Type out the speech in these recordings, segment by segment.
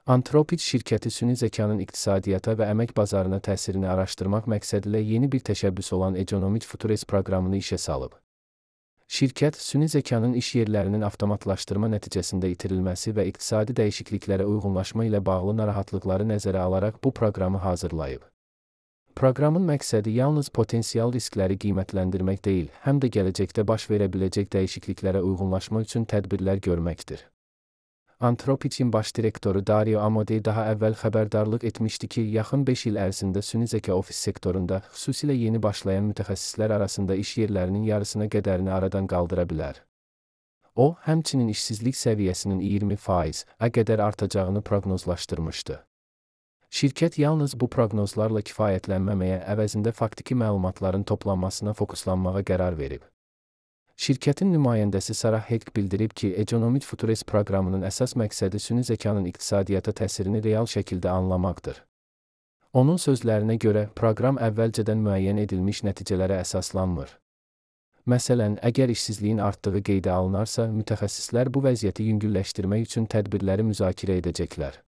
Anthropic şirkəti süni zəkanın iqtisadiyyata və əmək bazarına təsirini araşdırmaq məqsədilə yeni bir təşəbbüs olan Economic Futures proqramını işə salıb. Şirkət, süni zəkanın iş yerlərinin avtomatlaşdırma nəticəsində itirilməsi və iqtisadi dəyişikliklərə uyğunlaşma ilə bağlı narahatlıqları nəzərə alaraq bu proqramı hazırlayıb. Proqramın məqsədi yalnız potensial riskləri qiymətləndirmək deyil, həm də gələcəkdə baş verə biləcək dəyişikliklərə uyğunlaşma üçün tədbirlər görməkdir. Anthropic'in baş direktoru Dario Amodei daha əvvəl xəbərdarlıq etmişdi ki, yaxın 5 il ərzində süni zəka ofis sektorunda, xüsusilə yeni başlayan mütəxəssislər arasında iş yerlərinin yarısına qədərini aradan qaldıra bilər. O, həmçinin işsizlik səviyyəsinin 20%-ə qədər artacağını proqnozlaşdırmışdı. Şirkət yalnız bu proqnozlarla kifayətlənməməyə, əvəzində faktiki məlumatların toplanmasına fokuslanmağa qərar verib. Şirkətin nümayəndəsi Sarah Hek bildirib ki, Economic Futures proqramının əsas məqsədi süni zəkanın iqtisadiyyata təsirini real şəkildə anlamaqdır. Onun sözlərinə görə, proqram əvvəlcədən müəyyən edilmiş nəticələrə əsaslanmır. Məsələn, əgər işsizliyin artdığı qeydə alınarsa, mütəxəssislər bu vəziyyəti yüngülləşdirmək üçün tədbirləri müzakirə edəcəklər.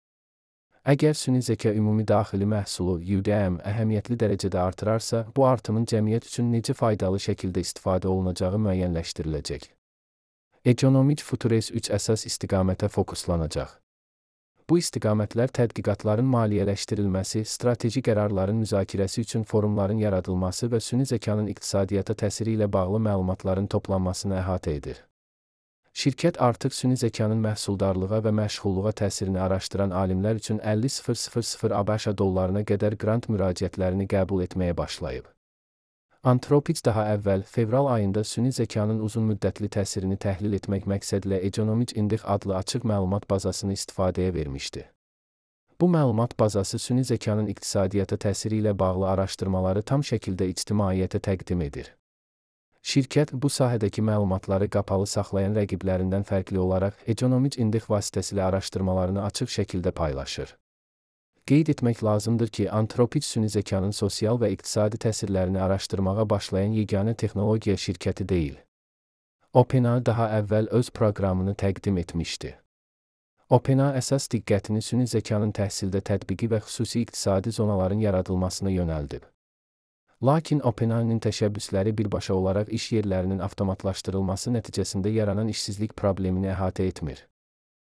Əgər süni zəka ümumi daxili məhsulu (UDM) əhəmiyyətli dərəcədə artırarsa, bu artımın cəmiyyət üçün necə faydalı şəkildə istifadə olunacağı müəyyənləşdiriləcək. Economic Futures 3 əsas istiqamətə fokuslanacaq. Bu istiqamətlər tədqiqatların maliyyələşdirilməsi, strateji qərarların müzakirəsi üçün forumların yaradılması və süni zəkanın iqtisadiyyata təsiri ilə bağlı məlumatların toplanmasını əhatə edir. Şirkət artıq süni zəkanın məhsuldarlığa və məşğulluğa təsirini araşdıran alimlər üçün 50.000 ABŞ dollarına qədər qrant müraciətlərini qəbul etməyə başlayıb. Anthropic daha əvvəl, fevral ayında süni zəkanın uzunmüddətli təsirini təhlil etmək məqsədilə Economic Index adlı açıq məlumat bazasını istifadəyə vermişdi. Bu məlumat bazası süni zəkanın iqtisadiyyata təsiri ilə bağlı araşdırmaları tam şəkildə ictimaiyyətə təqdim edir. Şirkət bu sahədəki məlumatları qapalı saxlayan rəqiblərindən fərqli olaraq Economic Index vasitəsilə araşdırmalarını açıq şəkildə paylaşır. Qeyd etmək lazımdır ki, Anthropic süni zəkanın sosial və iqtisadi təsirlərini araşdırmağa başlayan yeganə texnologiya şirkəti deyil. OpenAI daha əvvəl öz proqramını təqdim etmişdi. OpenAI əsas diqqətini süni zəkanın təhsildə tətbiqi və xüsusi iqtisadi zonaların yaradılmasına yönəldib. Lakin OpenAI-nin təşəbbüsləri birbaşa olaraq iş yerlərinin avtomatlaşdırılması nəticəsində yaranan işsizlik problemini əhatə etmir.